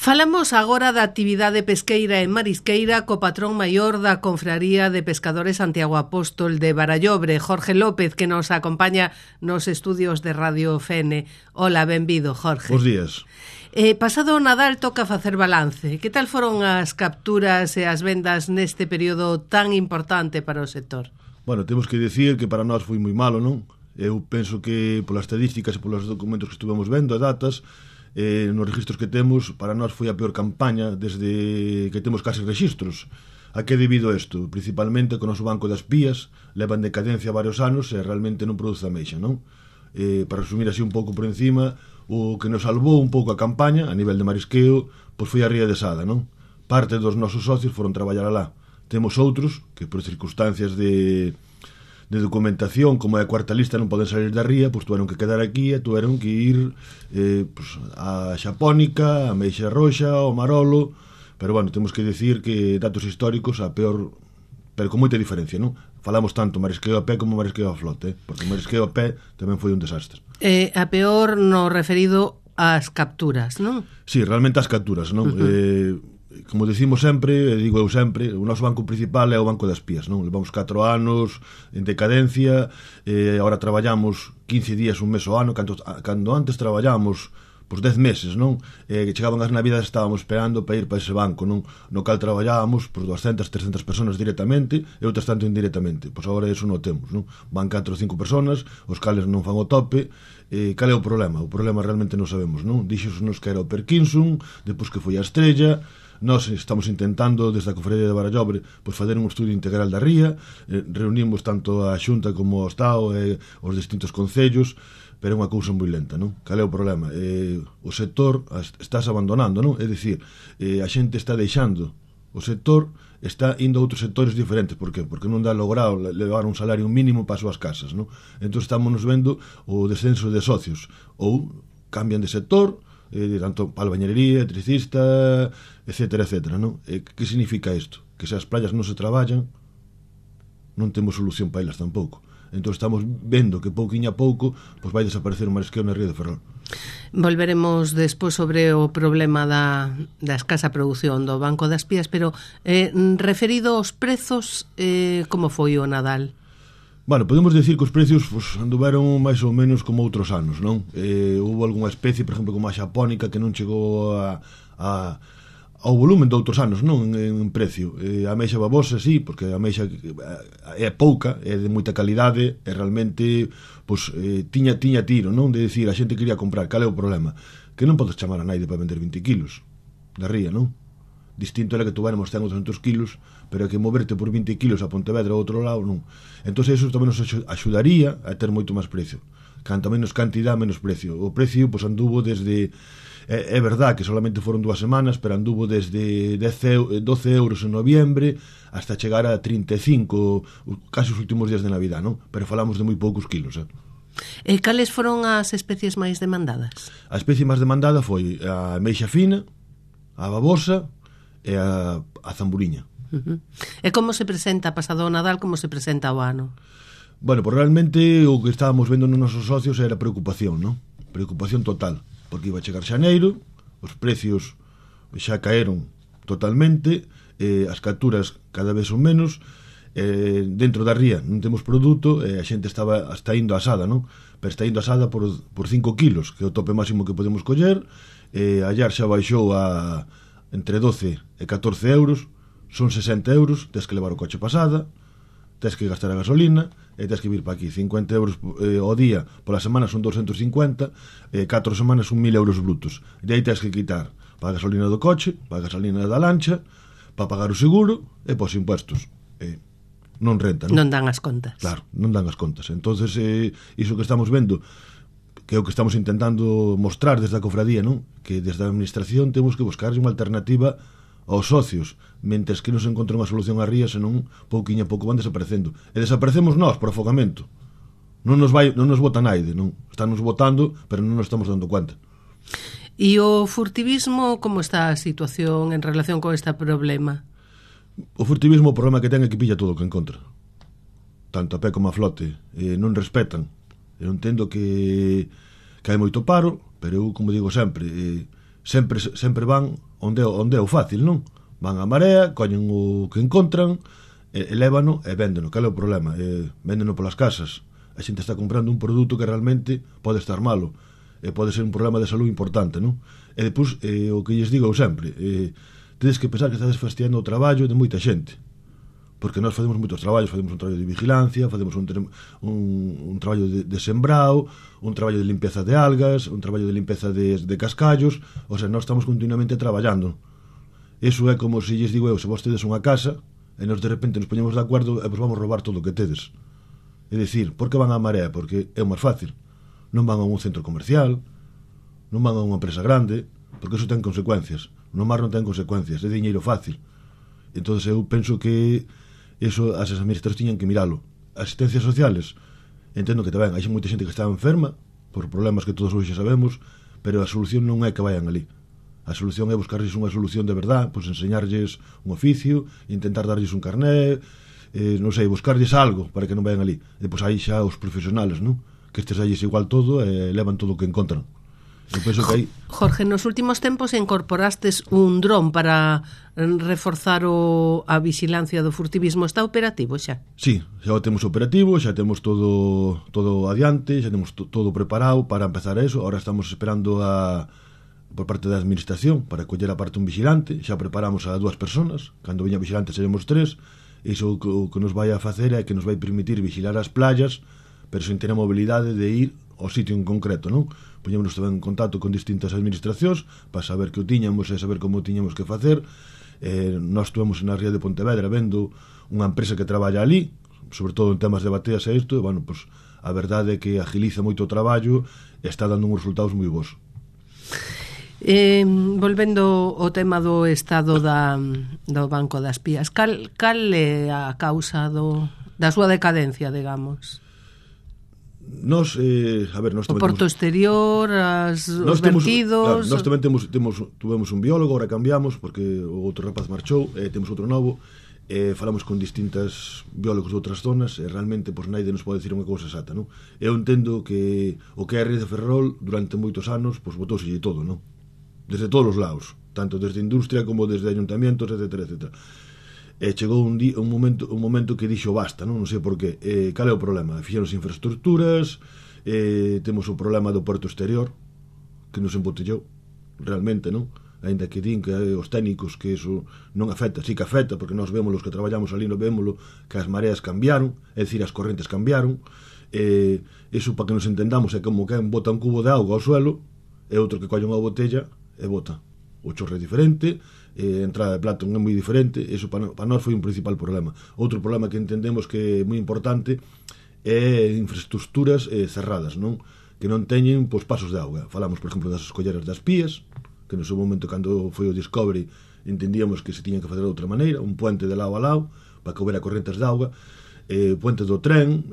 Falamos agora da actividade pesqueira e marisqueira co patrón maior da Confraría de Pescadores Santiago Apóstol de Barallobre, Jorge López, que nos acompaña nos estudios de Radio Fene. Hola, benvido, Jorge. Bos días. Pasado o Nadal toca facer balance. Que tal foron as capturas e as vendas neste período tan importante para o sector? Bueno, temos que dicir que para nós foi moi malo, non? Eu penso que polas estadísticas e polos documentos que estuvemos vendo, datas, nos registros que temos, para nós foi a peor campaña desde que temos case registros. A que debido isto? Principalmente que o noso banco das pías leva en decadencia varios anos e realmente non produce ameixa, non? Para resumir así un pouco por encima, o que nos salvou un pouco a campaña a nivel de marisqueo, pois foi a ría de Sada, non? Parte dos nosos socios foron traballar alá. Temos outros que por circunstancias de documentación, como é a cuarta lista, non poden salir da ría, pois tuveron que quedar aquí e tuveron que ir pois, a Xapónica, a Meixa Roxa, ao Marolo, pero bueno, temos que dicir que datos históricos a peor, pero con moita diferencia, non? Falamos tanto marisqueo a pé como marisqueo a flote, porque o marisqueo a pé tamén foi un desastre. A peor no referido ás capturas, non? Sí, realmente as capturas, non? Como decimos sempre, digo eu sempre, o noso banco principal é o banco das pías, non? Levamos 4 anos en decadencia, agora traballamos 15 días, un mes ao ano, cando antes traballamos pois 10 meses, non? Que chegaban as navidades, estábamos esperando para ir para ese banco, non? No cal traballábamos por 200, 300 personas directamente e outras tanto indirectamente. Pois agora eso non temos, non? Van 4 ou 5 personas, os cales non fan o tope. Cal é o problema? O problema realmente non sabemos, non? Dixos-nos que era o Perkinson, depois que foi a Estrella. Nós estamos intentando, desde a Confraría de Barallobre, pois fazer un estudio integral da ría, reunimos tanto a Xunta como o Estado e os distintos concellos, pero é unha cousa moi lenta, non? Cal é o problema? O sector estás abandonando, non? É dicir, a xente está deixando o sector, está indo a outros sectores diferentes. Por que? Porque non dá logrado levar un salario mínimo para as súas casas, non? Entón estamos nos vendo o descenso de socios, ou cambian de sector, tanto para albañería, electricista, etcétera, etcétera, non? Que significa isto? Que se as playas non se traballan, non temos solución para elas tampouco. Entón estamos vendo que pouquiño a pouco pois vai desaparecer o marisqueo na ría de Ferrol. Volveremos despois sobre o problema da escasa produción do Banco das Pías, pero referido aos prezos, como foi o Nadal? Bueno, podemos decir que os precios pues, anduveron máis ou menos como outros anos, non? Houve algunha especie, por exemplo, como a xapónica, que non chegou ao volumen de outros anos, non? En precio. A ameixa babosa, sí, porque a ameixa é pouca, é de moita calidade, e realmente pues, tiña tiro, non? De decir, a xente quería comprar. Cal é o problema? Que non podes chamar a naide para vender 20 kilos da ría, non? Distinto era que tuviéramos 100 ou 200 kilos, pero que moverte por 20 kilos a Pontevedra ao outro lado, non. Entón, eso tamén nos axudaría a ter moito máis precio. Canto menos cantidad, menos precio. O precio, pois, anduvo desde... É verdad que solamente foron 2 semanas, pero anduvo desde 12 euros en noviembre hasta chegar a 35, casi os últimos días de Navidad, non? Pero falamos de moi poucos kilos, E cales foron as especies máis demandadas? A especie máis demandada foi a ameixa fina, a babosa e a zamburiña. E como se presenta pasado o Nadal, como se presenta o ano? Bueno, pues realmente o que estábamos vendo nos nosos socios era preocupación, non? Preocupación total, porque iba a chegar xaneiro, os precios xa caeron totalmente, as capturas cada vez son menos, dentro da ría non temos produto, a xente está indo asada, non? Pero está indo asada por 5 kilos, que é o tope máximo que podemos coller. Allar xa baixou a entre 12 e 14 euros, son 60 euros, tens que levar o coche pasada, tens que gastar a gasolina e tens que vir para aquí. 50 euros ao día, pola semana son 250, 4 semanas son 1000 euros brutos. E aí tens que quitar para a gasolina do coche, para a gasolina da lancha, para pagar o seguro e para os impuestos. Non renta, non? Non dan as contas. Claro, non dan as contas. Entonces, iso que estamos vendo, que é o que estamos intentando mostrar desde a cofradía, non? Que desde a administración temos que buscar unha alternativa aos socios, mentres que non se encontra unha solución á ría, senón pouquiño a pouco van desaparecendo. E desaparecemos nós por afogamento. Non nos bota naide, non? Están nos botando, pero non nos estamos dando conta. E o furtivismo, como está a situación en relación con este problema? O furtivismo, o problema que ten é que pilla todo o que encontra. Tanto a pé como a flote. Non respetan. Eu entendo que hai moito paro, pero eu, como digo sempre, sempre van onde é o fácil, non? Van a marea, coñen o que encontran, elévano e véndeno. Cal é o problema? Véndeno polas casas. A xente está comprando un produto que realmente pode estar malo, pode ser un problema de salud importante, non? E depois, o que lles digo sempre, tedes que pensar que estades fastidiando o traballo de moita xente, porque nós facemos moitos traballos, facemos un traballo de vigilancia, facemos un traballo de sembrao, un traballo de limpeza de algas, un traballo de limpeza de cascallos, o sea, nós estamos continuamente traballando. Eso é como se lles digo eu, se vos tedes unha casa e nos de repente nos poñemos de acordo e vos vamos roubar todo o que tedes. É dicir, por que van á marea? Porque é o máis fácil. Non van a un centro comercial, non van a unha empresa grande, porque eso ten consecuencias. No mar non ten consecuencias, é diñeiro fácil. Entón eu penso que eso as administracións tiñan que miralo. Asistencias sociales, entendo que tamén hai moita xente que está enferma por problemas que todos hoxe sabemos, pero a solución non é que vayan ali. A solución é buscarlles unha solución de verdad, pois enseñarlles un oficio, intentar darlles un carné, non sei, buscarlles algo para que non vayan ali. E depois aí xa os profesionales, non? Que estes aí igual todo e levan todo o que encontran. Eu penso que aí... Jorge, nos últimos tempos incorporastes un dron para reforzar a vigilancia do furtivismo. Está operativo xa? Sí, xa o temos operativo, xa temos todo adiante, xa temos todo preparado para empezar eso. Ahora estamos esperando por parte da administración para coller a parte un vigilante. Xa preparamos a 2 personas, cando veña vigilante seremos 3. Iso o que nos vai a facer é que nos vai permitir vigilar as playas, pero sen ter a mobilidade de ir ao sitio en concreto, non? Poñémonos tamén en contacto con distintas administracións para saber que o tiñamos e saber como o tiñamos que facer. Nós estuvemos na ría de Pontevedra vendo unha empresa que traballa ali, sobre todo en temas de bateas e isto, e, bueno, pues, a verdade é que agiliza moito o traballo e está dando uns resultados moi bons. Volvendo ao tema do estado do Banco das Pías, cal é a causa da súa decadencia, digamos? Nós, nós o porto exterior, os vertidos... Claro, nós tamén tuvemos un biólogo, ahora cambiamos porque o outro rapaz marchou, temos outro novo, falamos con distintas biólogos de outras zonas e realmente pois naide nos pode dicir unha cousa exata, non? Eu entendo que o que é a ría de Ferrol durante moitos anos pois botouselle todo, non? Desde todos os lados, tanto desde a industria como desde ayuntamientos, etc, etc. Chegou un momento que dixo basta, non sei por qué. Cal é o problema? Fixeronse infraestructuras, temos o problema do porto exterior que nos embotellou realmente, non? Ainda que din que os técnicos que eso non afecta, sí que afecta, porque nós vemos os que traballamos ali, non vémoslo, que as mareas cambiaron, é dicir, as correntes cambiaron. Eso, para que nos entendamos, é como que bota un cubo de auga ao suelo e outro que colle unha botella e bota. O chorro é diferente, a entrada de Platón é moi diferente. Eso para nós foi un principal problema. Outro problema que entendemos que é moi importante é infraestructuras cerradas, non? Que non teñen pasos de auga. Falamos, por exemplo, das escolleras das Pías, que no seu momento, cando foi o Discovery, entendíamos que se tiñan que fazer de outra maneira, un puente de lado a lado para que houbera correntes de auga, puente do tren.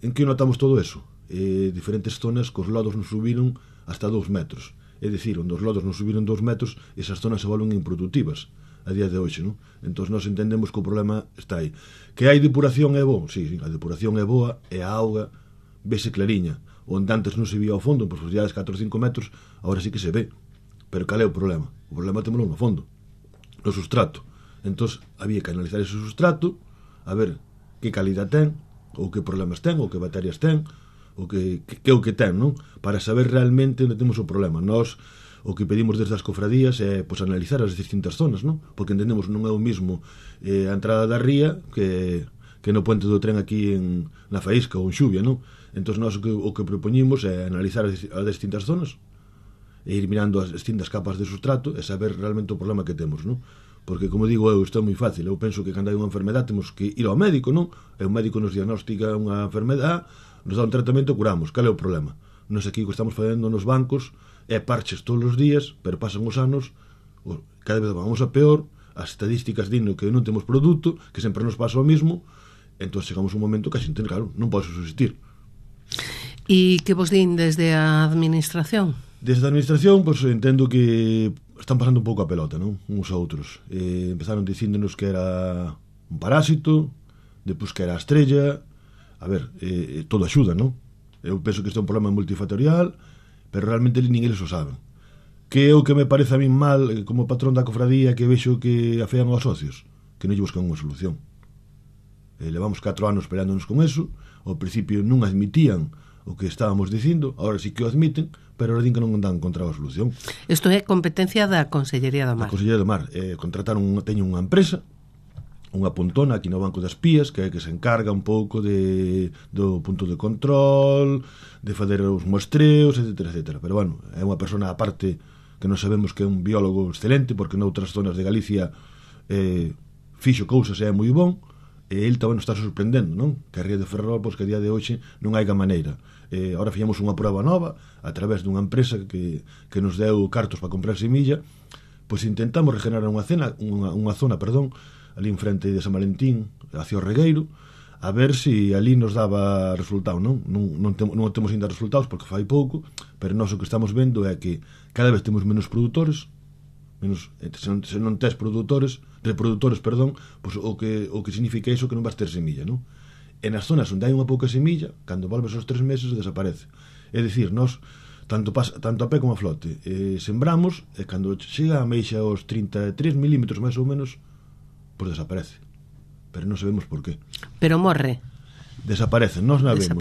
En que notamos todo eso? Diferentes zonas que os lodos nos subiron hasta 2 metros. É dicir, onde os lodos non subiron 2 metros, esas zonas se volven improductivas a día de hoxe, non? Entón nós entendemos que o problema está aí. Que hai depuración é bo? Sí, a depuración é boa e a auga vese clariña. Onde antes non se vía ao fondo, en profundidades 4 ou 5 metros, agora sí que se ve. Pero cal é o problema? O problema temolo no fondo, no sustrato. Entón había que analizar ese sustrato, a ver que calidad ten, ou que problemas ten, ou que bacterias ten, o que é o que ten, non? Para saber realmente onde temos o problema. Nós o que pedimos desde as cofradías é analizar as distintas zonas, non? Porque entendemos non é o mismo a entrada da ría que no puente do tren aquí na Faísca ou en Xuvia, non? Entón nós o que propoñimos é analizar as distintas zonas e ir mirando as distintas capas de sustrato e saber realmente o problema que temos, non? Porque, como digo eu, isto é moi fácil. Eu penso que cando hai unha enfermedade temos que ir ao médico, non? E o médico nos diagnostica unha enfermedade, nos dá un tratamento, curamos. Cal é o problema? Nós aquí o que estamos facendo nos bancos é parches todos os días, pero pasan os anos, cada vez vamos a peor, as estadísticas dindo que non temos produto, que sempre nos pasa o mismo, entón chegamos un momento que a xente, claro, non pode subsistir. E que vos din desde a administración? Desde a administración, pois entendo que están pasando un pouco a pelota, non? Uns a outros. Empezaron dicíndonos que era un parásito, depois que era a estrella. A ver, todo axuda, non? Eu penso que isto é un problema multifactorial, pero realmente ninguén o saben. Que é o que me parece a min mal como patrón da cofradía, que vexo que afean aos socios, que non lle buscan unha solución. Levamos 4 anos esperándonos con eso. Ao principio non admitían o que estábamos dicindo, agora sí que o admiten, pero ahora din que non dan contra a solución. Isto é competencia da Consellería do Mar. A Consellería do Mar teñen unha empresa, unha puntona aquí no Banco das Pías, que se encarga un pouco do punto de control, de fazer os muestreos, etc. Pero bueno, é unha persona aparte que non sabemos que é un biólogo excelente, porque noutras zonas de Galicia fixo cousas e é moi bon, e ele tamén nos está sorprendendo, non? Que a Ría de Ferrol, pois que a día de hoxe non hai maneira. Ahora fixemos unha prova nova a través dunha empresa que nos deu cartos para comprar semilla, pois intentamos regenerar unha zona, ali en frente de San Valentín, hacia o Regueiro, a ver se ali nos daba resultado, non? Non temos ainda resultados porque fai pouco, pero nós o que estamos vendo é que cada vez temos menos produtores, se non tes reprodutores, pois o que significa iso que non vas ter semilla, non? E nas zonas onde hai unha pouca semilla, cando volves aos 3 meses desaparece. É dicir, nós tanto a pé como a flote sembramos, e cando chega a meixa aos 33 milímetros máis ou menos, pois desaparece. Pero non sabemos por qué. Pero morre. Desaparecen, nós non a vemos.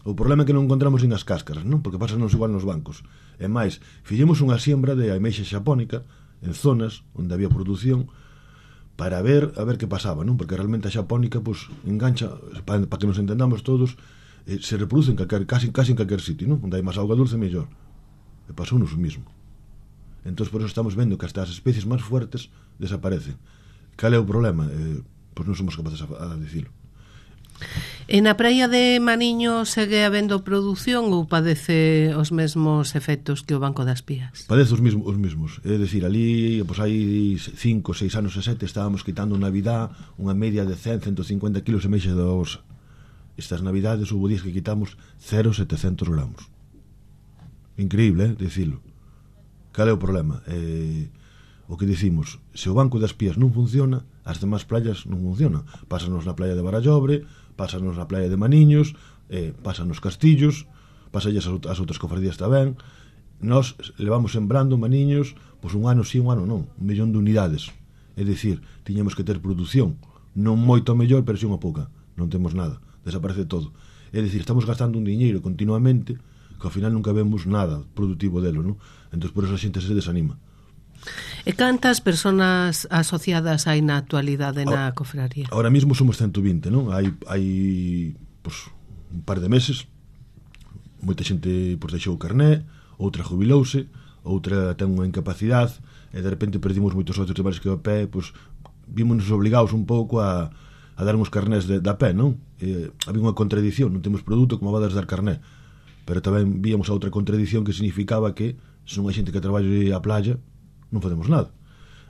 O problema é que non encontramos nin as cáscaras, non? Porque pasanos igual nos bancos. E máis, fixemos unha siembra de ameixa xapónica en zonas onde había produción para ver a ver que pasaba, non? Porque realmente a xapónica pois engancha, para que nos entendamos todos, se reproduce casi en calquer sitio, non? Onde hai máis auga dulce mellor. E pasounos o mismo. Entón por eso estamos vendo que hasta as especies máis fuertes desaparecen. Cal é o problema? Pois non somos capaces a dicilo. E na praia de Maniño segue habendo produción ou padece os mesmos efectos que o Banco das Pías? Padece os mesmos. É dicir, ali, pois hai 5, 6 anos e 7 estábamos quitando Navidad unha media de 100, 150 kilos de meixa da osa. Estas Navidades houve días que quitamos 0,700 gramos. Increíble, dicilo. Cal é o problema? O que dicimos, se o Banco das Pías non funciona, as demás playas non funcionan. Pásanos na playa de Barallobre, pásanos na playa de Maniños, pásanos Castillos, pásalles as outras cofradías tamén. Nós levamos sembrando Maniños, pois un ano sí, un ano non, 1 millón de unidades. É dicir, tiñamos que ter produción, non moito mellor, pero sí unha pouca. Non temos nada, desaparece todo. É dicir, estamos gastando un diñeiro continuamente que ao final nunca vemos nada produtivo delo, non? Entón por eso a xente se desanima. E cantas persoas asociadas hai na actualidade na cofraría? Ahora mismo somos 120, non? Hai pois, un par de meses, moita xente pois, deixou o carné, outra jubilouse, outra ten unha incapacidade, e de repente perdimos moitos socios de bares que a pé, pois vímonos obligados un pouco a dar uns carnés da pé, non? Había unha contradición, non temos produto, como vades dar carné, pero tamén víamos a outra contradición que significaba que se non hai xente que traballe a playa, non facemos nada.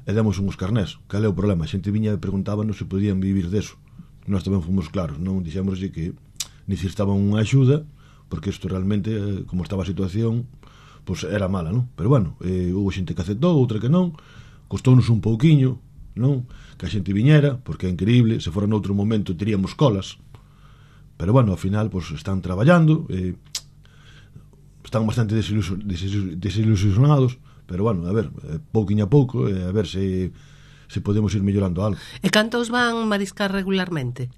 E demos uns carnés. Cal é o problema? A xente viña e preguntábanos se podían vivir deso. Nós tamén fomos claros, non dixemos que necesitaban unha axuda, porque isto realmente, como estaba a situación, pois era mala, non? Pero bueno, houve xente que aceptou, outra que non, costounos un pouquiño, non? Que a xente viñera, porque é increíble, se fora noutro momento teríamos colas, pero bueno, ao final, pois están traballando, están bastante desilusionados, pero bueno, a ver, pouquiño a pouco, a ver se podemos ir mellorando algo. E cantos van mariscar regularmente?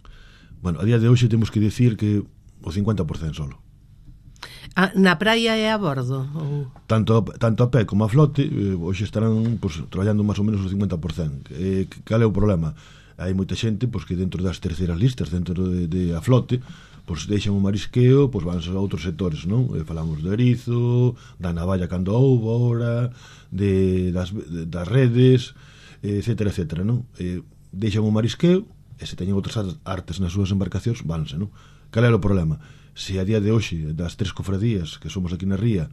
Bueno, a día de hoxe temos que decir que o 50% solo. Na praia e a bordo? Ou... Tanto a pé como a flote, hoxe estarán pues, traballando máis ou menos o 50%. Cal é o problema? Hai moita xente pues, que dentro das terceiras listas, dentro de a flote, pois deixan o marisqueo, pois van a outros sectores, non? Falamos do erizo, da navalla cando houve ahora, das redes, etcétera, non? Deixan o marisqueo, e se teñen outras artes nas súas embarcacións, vanse, non? Cal é o problema? Se a día de hoxe, das 3 cofradías que somos aquí na ría,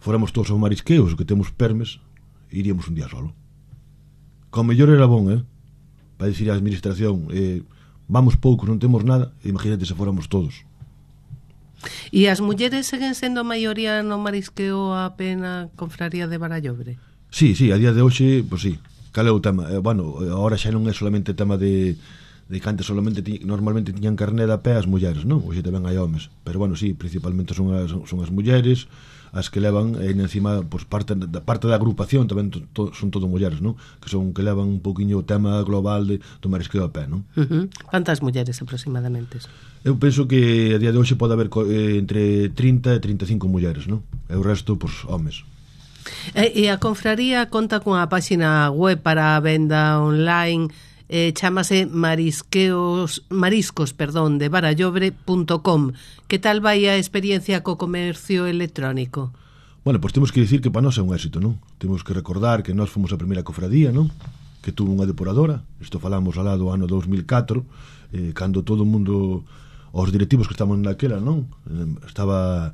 fóramos todos ao marisqueo, os que temos permes, iríamos un día solo. Como mellor era bon, para dicir a administración, vamos poucos, non temos nada, imagínate se fóramos todos. E as mulleres seguen sendo a maioría no marisqueo a pena confraría de Barallobre? Sí, a día de hoxe, pois sí. Cal é o tema? Bueno, agora xa non é solamente tema de que antes solamente normalmente tiñan carné da pé as mulleres, non? Hoxe tamén hai homes, pero bueno, sí, principalmente son as mulleres, as que levan encima pues, parte da agrupación tamén son todo mulleres, non? Que son que levan un poquinho o tema global do marisqueo a pé, non? Cantas mulleres aproximadamente? Eu penso que a día de hoxe pode haber entre 30 e 35 mulleres, non? E o resto, pois, homes. E a confraría conta cunha páxina web para a venda online, chámase mariscos de barallobre.com. Que tal vai a experiencia co comercio electrónico? Bueno, pois temos que dicir que para nós é un éxito, non? Temos que recordar que nós fomos a primeira cofradía, non? Que tuvo unha depuradora. Isto falamos alá do ano 2004, cando todo o mundo, os directivos que estaban naquela, non? Estaba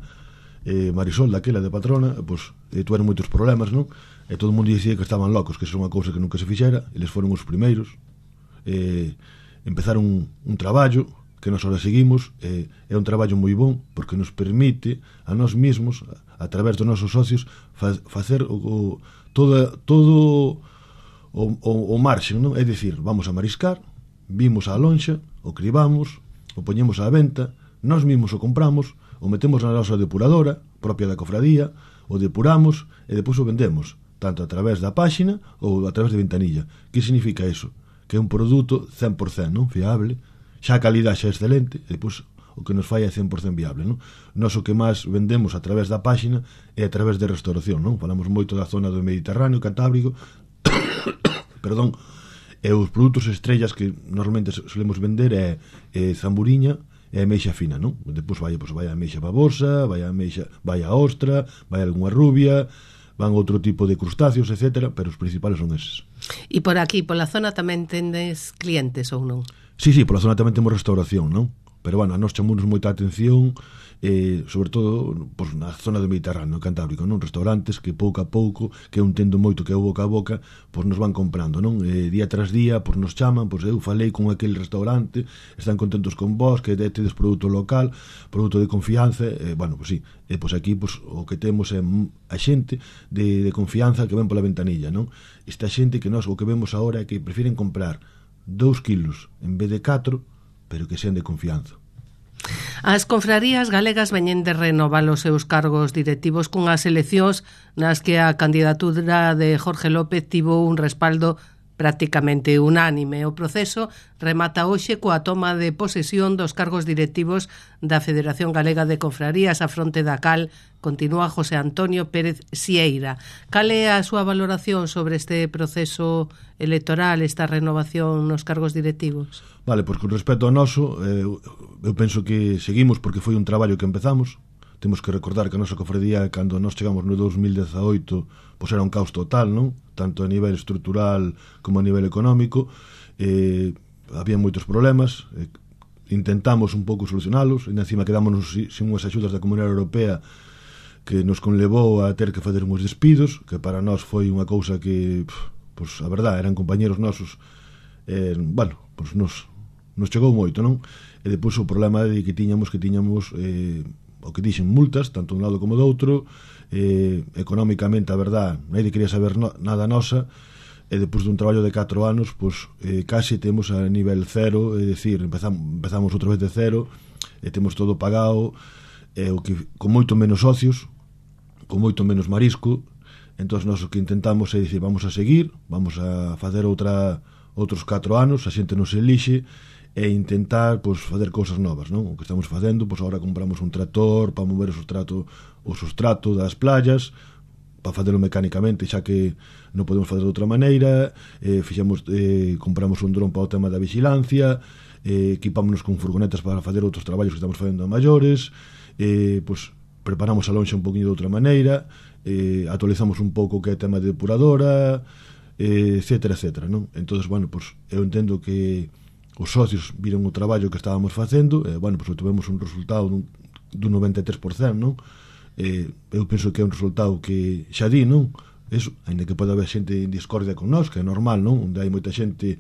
Marisol daquela de patrona, pois tuveron moitos problemas, non? E todo o mundo dicía que estaban locos, que isso é unha cousa que nunca se fixera. Eles foron os primeiros. Empezaron un traballo que nós ahora seguimos, é un traballo moi bon porque nos permite a nós mesmos a través dos nosos socios facer todo o marxen, non? É dicir, vamos a mariscar, vimos a lonxa, o cribamos, o poñemos á venta, nós mesmos o compramos, o metemos na nosa depuradora propia da cofradía, o depuramos e depois o vendemos tanto a través da páxina ou a través de ventanilla. Que significa iso? Que é un produto 100%, non? Fiable, xa a calidade xa é excelente, e depois o que nos fai é 100% viable, non? Nós o que máis vendemos a través da páxina é a través de restauración, non? Falamos moito da zona do Mediterráneo, Cantábrico, perdón, e os produtos estrellas que normalmente solemos vender é zamburiña e ameixa fina, non? Depois vai a ameixa babosa, vai a ostra, vai algunha rubia, van outro tipo de crustáceos, etc., pero os principales son eses. E por aquí, pola zona, tamén tendes clientes ou non? Sí, pola zona tamén temos restauración, non? Pero, bueno, a nos chamamos moita atención, sobre todo pues, na zona do Mediterráneo, Cantábrico, non? Restaurantes que pouco a pouco, que eu entendo moito que é o boca a boca, pois nos van comprando, non? Día tras día, pois nos chaman, pois eu falei con aquel restaurante, están contentos con vos, que tedes produto local, produto de confianza, bueno, pois sí, pois aquí pois, o que temos é a xente de confianza que ven pola ventanilla, non? Esta xente que nós o que vemos agora é que prefiren comprar 2 kilos en vez de 4, pero que sean de confianza. As confrarías galegas veñen de renovar os seus cargos directivos cunhas eleccións nas que a candidatura de Jorge López tivo un respaldo prácticamente unánime. O proceso remata hoxe coa toma de posesión dos cargos directivos da Federación Galega de Confrarías, a fronte da cal continúa José Antonio Pérez Sieira. Cal é a súa valoración sobre este proceso electoral, esta renovación nos cargos directivos? Vale, pois con respecto ao noso, eu penso que seguimos porque foi un traballo que empezamos. Temos que recordar que a nosa cofradía, cando nós chegamos no 2018, pois era un caos total, non? Tanto a nivel estrutural como a nivel económico. Había moitos problemas, intentamos un pouco solucionalos, e encima quedámonos sin unhas axudas da Comunidade Europea que nos conlevou a ter que fazer uns despidos, que para nós foi unha cousa que, pois, a verdade, eran compañeros nosos, bueno, pois nos chegou moito, non? E depois o problema de que tiñamos o que dixen multas, tanto de un lado como do outro, económicamente, a verdade, nadie quería saber nada nosa, e depois dun traballo de 4 anos, pois casi temos a nivel cero, é dicir, empezamos outra vez de cero, e temos todo pagado, o que con moito menos socios, con moito menos marisco. Entón nós o que intentamos é dicir, vamos a seguir, vamos a facer outros 4 anos, a xente nos elixe, e intentar pois, fazer cousas novas, non? O que estamos facendo, pois agora compramos un tractor para mover o substrato das playas, para facelo mecánicamente, xa que non podemos fazer de outra maneira. Compramos un dron para o tema da vigilancia, equipámonos con furgonetas para fazer outros traballos que estamos facendo a maiores, pois preparamos a lonxa un poquinho de outra maneira, actualizamos un pouco o que é tema de depuradora, etcétera, non? Entón, bueno, pois eu entendo que os socios viron o traballo que estábamos facendo, bueno, pois obtivemos un resultado dun 93%, non? Eu penso que é un resultado que xa di, non? Eso, ainda que pode haber xente en discordia con nós, que é normal, non? Onde hai moita xente,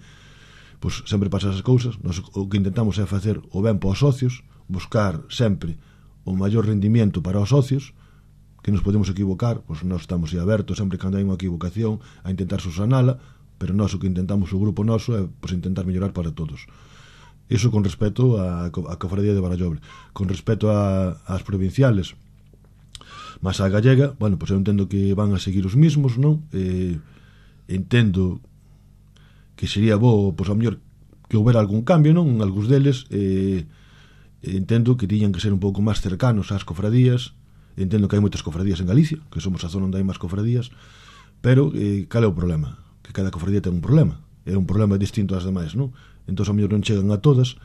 pois sempre pasan esas cousas. Nós o que intentamos é facer o ben para os socios, buscar sempre o maior rendimiento para os socios, que nos podemos equivocar, pois nós estamos abertos sempre cando hai unha equivocación a intentar subsanala, pero nós o que intentamos, o grupo noso, é pois, intentar mellorar para todos. Iso con respecto a cofradía de Barallobre. Con respecto ás provinciales, Mas a gallega, bueno, pois eu entendo que van a seguir os mismos, non? Entendo que sería bo, pois, a mellor que houbera algún cambio, non? En algúns deles, entendo que tiñan que ser un pouco máis cercanos ás cofradías. Entendo que hai moitas cofradías en Galicia, que somos a zona onde hai máis cofradías, pero cal é o problema? Que cada cofradía ten un problema. É un problema distinto ás demais, non? Entón, a mellor non chegan a todas,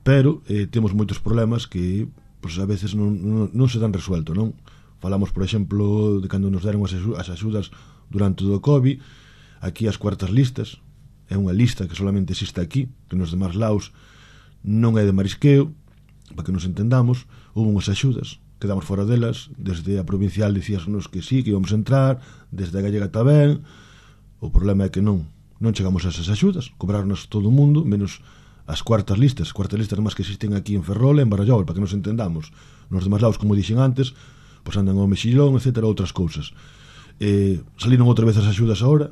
pero temos moitos problemas que, pois, a veces non se dan resuelto, non? Falamos, por exemplo, de cando nos deron as axudas durante o COVID. Aquí as cuartas listas é unha lista que solamente existe aquí, que nos demás laos non é de marisqueo, para que nos entendamos. Houve unhas axudas, quedamos fora delas. Desde a provincial dicíasenos que sí, que íbamos a entrar, desde a gallega tamén. O problema é que non chegamos a esas axudas, cobrarnos todo o mundo, menos as cuartas listas máis que existen aquí en Ferrol e en Barallobre, para que nos entendamos. Nos demás laos, como dixen antes, pois andan ao mexillón, etcétera, outras cousas. Saliron outra vez as axudas agora,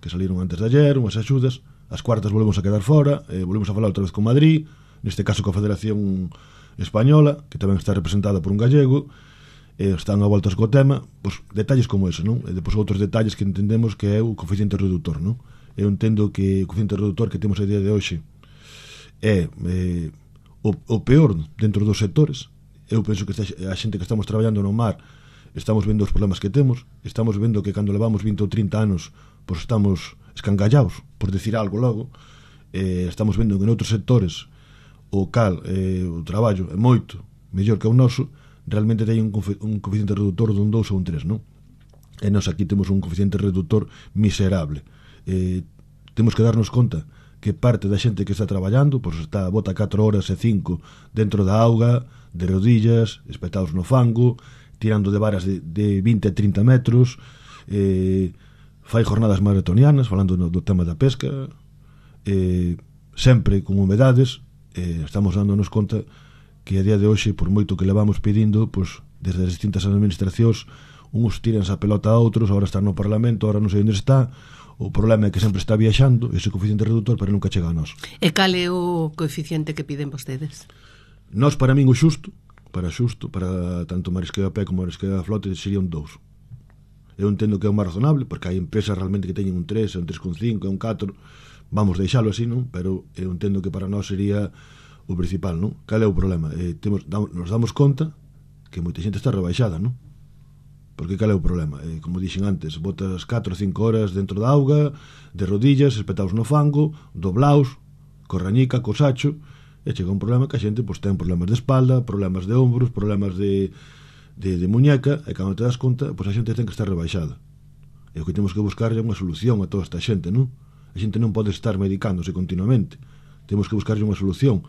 que saliron antes de ayer, unhas axudas. As cuartas volvemos a quedar fora, volvemos a falar outra vez con Madrid, neste caso coa Federación Española, que tamén está representada por un gallego. Están a voltas co tema, pois detalles como ese, non? E depois outros detalles que entendemos que é o coeficiente reductor, non? Eu entendo que o coeficiente reductor que temos a día de hoxe é o peor dentro dos sectores. Eu penso que a xente que estamos traballando no mar estamos vendo os problemas que temos, estamos vendo que cando levamos 20 ou 30 anos pois estamos escangallados, por decir algo logo. Estamos vendo que noutros sectores o traballo é moito mellor que o noso, realmente ten un coeficiente reductor dun 2 ou un 3, non? E nós aquí temos un coeficiente reductor miserable. Temos que darnos conta que parte da xente que está traballando pois bota 4 horas e 5 dentro da auga, de rodillas, espetados no fango, tirando de varas de 20 e 30 metros, fai jornadas maratonianas falando do tema da pesca, sempre con humedades. Estamos dándonos conta que a día de hoxe, por moito que levamos pedindo, pois desde as distintas administracións, uns tiranse a pelota a outros, agora está no Parlamento, agora non sei onde está. O problema é que sempre está viaxando ese coeficiente reductor, pero nunca chega a nós. E cal é o coeficiente que piden vostedes? Nós, para min, o xusto, para tanto marisqueo a pé como marisqueo a flote, sería un 2. Eu entendo que é o máis razonable, porque hai empresas realmente que teñen un 3, un 3,5, un 4, vamos deixalo así, non? Pero eu entendo que para nós sería o principal, non? Cal é o problema? Nos damos conta que moita xente está rebaixada, non? Porque cal é o problema? Como dixen antes, botas 4 ou 5 horas dentro da auga, de rodillas, espetados no fango, doblaos, co rañica, co sacho, e chega un problema que a xente pois, ten problemas de espalda, problemas de ombros, problemas de muñeca, e cando te das conta, pois a xente ten que estar rebaixada. E o que temos que buscar é unha solución a toda esta xente, non? A xente non pode estar medicándose continuamente. Temos que buscar unha solución,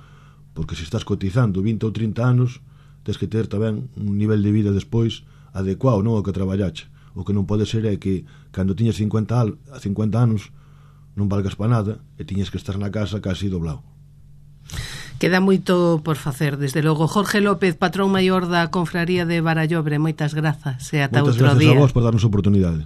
porque se estás cotizando 20 ou 30 anos, tens que ter tamén un nivel de vida despois adecuado, non ao que traballache. O que non pode ser é que cando tiñas 50 anos non valgas para nada e tiñas que estar na casa casi doblado. Queda moito por facer, desde logo. Jorge López, patrón maior da Confraría de Barallobre, moitas grazas e ata outro día. Moitas grazas a vos por darnos a oportunidade.